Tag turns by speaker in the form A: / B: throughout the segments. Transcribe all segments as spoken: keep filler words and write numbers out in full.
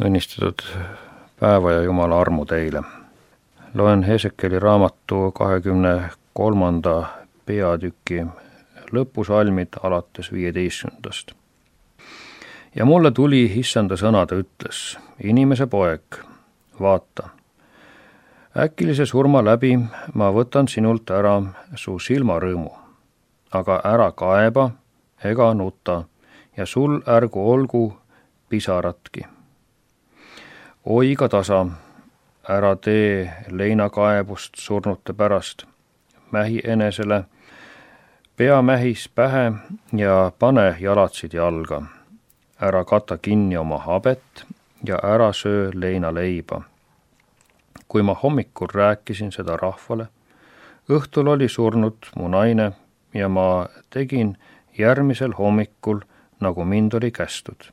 A: Õnnistatud päeva ja Jumala armu teile. Loen Hesekeli raamatu kahekümne kolmanda peatüki lõpusalmid alates viieteistkümnendast. Ja mulle tuli issanda sõna, ta ütles, inimese poeg, vaata, äkilise surma läbi ma võtan sinult ära su silmarõõmu, aga ära kaeba ega nuta ja sul ärgu olgu pisaratki. Oiga tasa, ära tee leinakaebust surnute pärast, mähi enesele, pea mähis pähe ja pane jalatsid jalga. Ära kata kinni oma habet ja ära söö leinaleiba. Kui ma hommikul rääkisin seda rahvale, õhtul oli surnud mu naine ja ma tegin järgmisel hommikul, nagu mind oli kästud.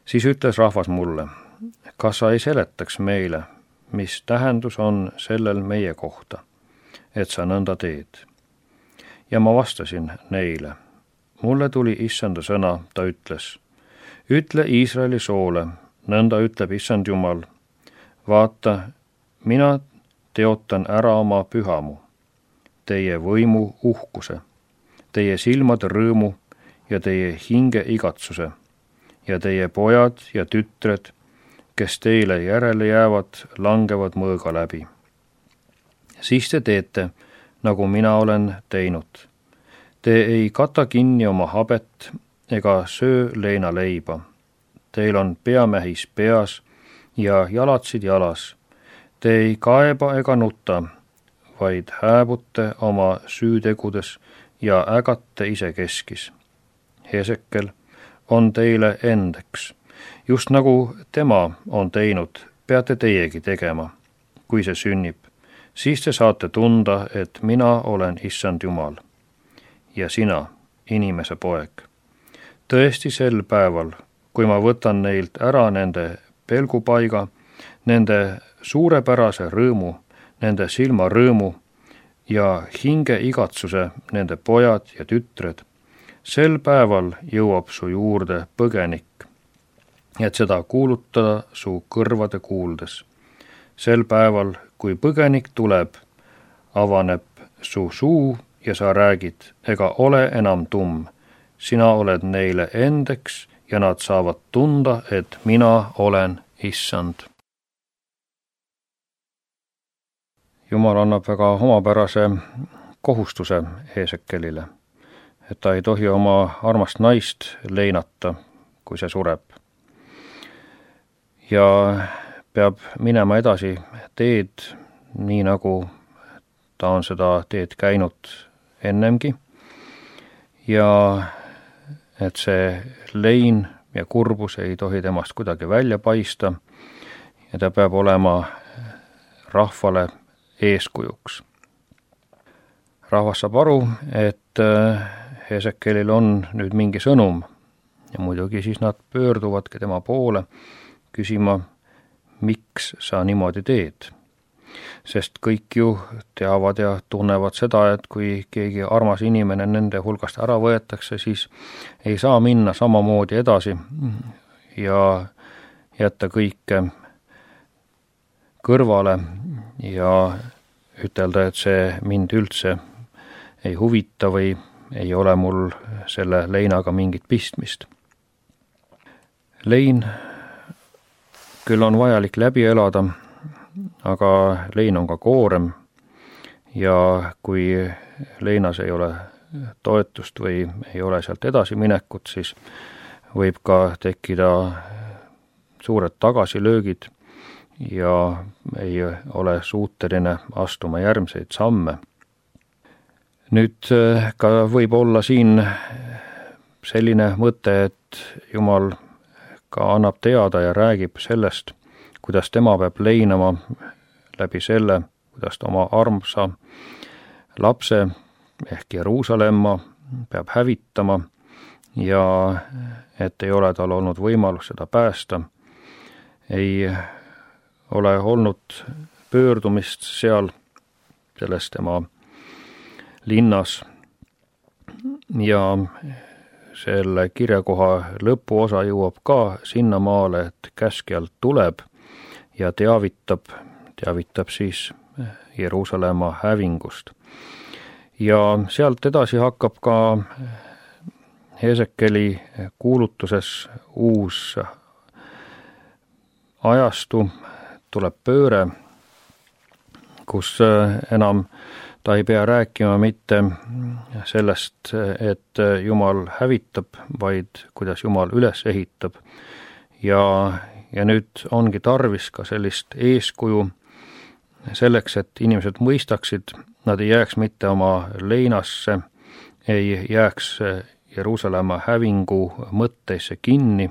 A: Siis ütles rahvas mulle, kas sa ei seletaks meile, mis tähendus on sellel meie kohta, et sa nõnda teed. Ja ma vastasin neile, mulle tuli issanda sõna, ta ütles, ütle Iisraeli soole, nõnda ütleb issand Jumal, vaata, mina teotan ära oma pühamu, teie võimu uhkuse, teie silmade rõõmu ja teie hinge igatsuse ja teie pojad ja tütred, kes teile järele jäävad, langevad mõõga läbi. Siis te teete, nagu mina olen teinud. Te ei kata kinni oma habet ega söö leinaleiba. Teil on peamähis peas ja jalatsid jalas. Te ei kaeba ega nuta, vaid hääbute oma süütegudes ja ägate ise keskis. Hesekel on teile endeks. Just nagu tema on teinud, peate teiegi tegema, kui see sünnib. Siis te saate tunda, et mina olen issand Jumal. Ja sina, inimese poeg. Tõesti sel päeval, kui ma võtan neilt ära nende pelgupaiga, nende suurepärase rõõmu, nende silmarõõmu ja hinge igatsuse nende pojad ja tütred, sel päeval jõuab su juurde põgenik, et seda kuulutada su kõrvade kuuldes. Sel päeval, kui põgenik tuleb, avaneb su suu ja sa räägid, ega ole enam tumm. Sina oled neile endeks ja nad saavad tunda, et mina olen issand. Jumal annab väga omapärase kohustuse Hesekelile, et ta ei tohi oma armast naist leinata, kui see sureb. Ja peab minema edasi teed, nii nagu ta on seda teed käinud ennemgi. Ja et see lein ja kurbus ei tohi temast kuidagi välja paista ja ta peab olema rahvale eeskujuks. Rahvas saab aru, et Hesekelil on nüüd mingi sõnum ja muidugi siis nad pöörduvadki tema poole küsima, miks sa niimoodi teed. Sest kõik ju teavad ja tunnevad seda, et kui keegi armas inimene nende hulgast ära võetakse, siis ei saa minna samamoodi edasi ja jätta kõike kõrvale ja ütelda, et see mind üldse ei huvita või ei ole mul selle leinaga mingit pistmist. Lein küll on vajalik läbi elada, aga lein on ka koorem ja kui leinas ei ole toetust või ei ole sealt edasi minekut, siis võib ka tekkida suured tagasilöögid ja ei ole suuteline astuma järgmiseid samme. Nüüd ka võib olla siin selline mõte, et Jumal ka annab teada ja räägib sellest, kuidas tema peab leinama läbi selle, kuidas ta oma armsa lapse ehk Jeruusalemma peab hävitama ja et ei ole tal olnud võimalus seda päästa, ei ole olnud pöördumist seal selles tema linnas ja selle kirjakoha lõpuosa jõuab ka sinnamaale, et käskjalt tuleb ja teavitab, teavitab siis Jeruusalemma hävingust. Ja sealt edasi hakkab ka Hesekeli kuulutuses uus ajastu, tuleb pööre, kus enam ta ei pea rääkima mitte sellest, et Jumal hävitab, vaid kuidas Jumal üles ehitab. Ja, ja nüüd ongi tarvis ka sellist eeskuju selleks, et inimesed mõistaksid, nad ei jääks mitte oma leinasse, ei jääks Jeruusalemma hävingu mõtteisse kinni,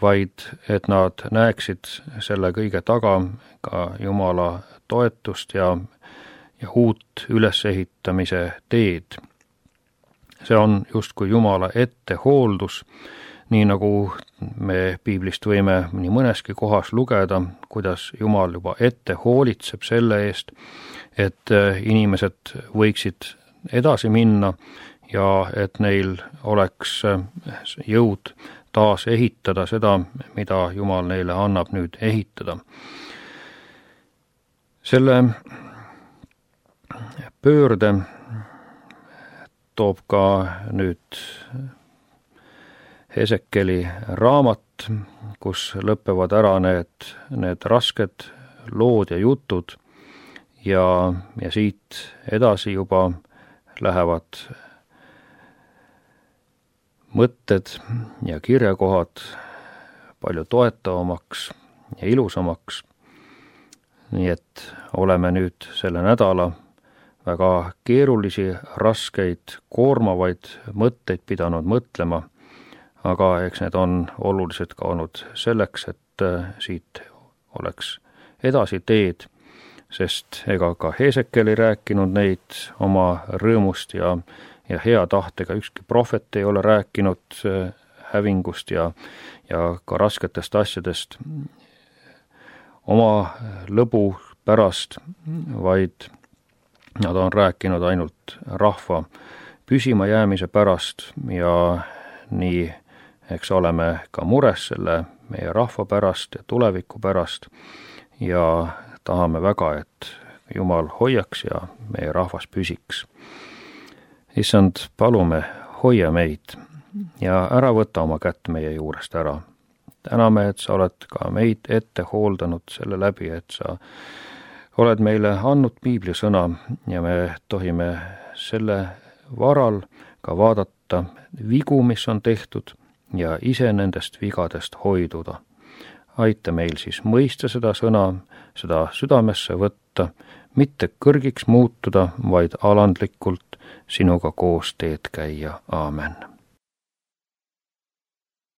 A: vaid et nad näeksid selle kõige taga ka Jumala toetust ja, ja uut ülesehitamise teed. See on justkui Jumala ettehooldus, nii nagu me piiblist võime nii mõneski kohas lugeda, kuidas Jumal juba ette hoolitseb selle eest, et inimesed võiksid edasi minna ja et neil oleks jõud taas ehitada seda, mida Jumal neile annab nüüd ehitada. Selle pöörde toob ka nüüd Hesekeli raamat, kus lõpevad ära need, need rasked lood ja jutud ja, ja siit edasi juba lähevad mõtted ja kirjakohad palju toetavamaks ja ilusamaks. Nii et oleme nüüd selle nädala väga keerulisi, raskeid, koormavaid mõtteid pidanud mõtlema, aga eks need on olulised ka olnud selleks, et siit oleks edasi teed, sest ega ka Hesekel ei rääkinud neid oma rõõmust ja ja hea tahtega, ükski prohvet ei ole rääkinud hävingust ja, ja ka rasketest asjadest oma lõbu pärast, vaid nad on rääkinud ainult rahva püsima jäämise pärast ja nii eks oleme ka mures selle meie rahva pärast ja tuleviku pärast ja tahame väga, et Jumal hoiaks ja meie rahvas püsiks. Issand, palume, hoia meid ja ära võta oma kätt meie juurest ära. Täname, et sa oled ka meid ette hooldanud selle läbi, et sa oled meile andnud piibli sõna ja me tohime selle varal ka vaadata vigu, mis on tehtud ja ise nendest vigadest hoiduda. Aita meil siis mõista seda sõna, seda südamesse võtta, mitte kõrgiks muutuda, vaid alandlikult sinuga koos teed käia. Aamen.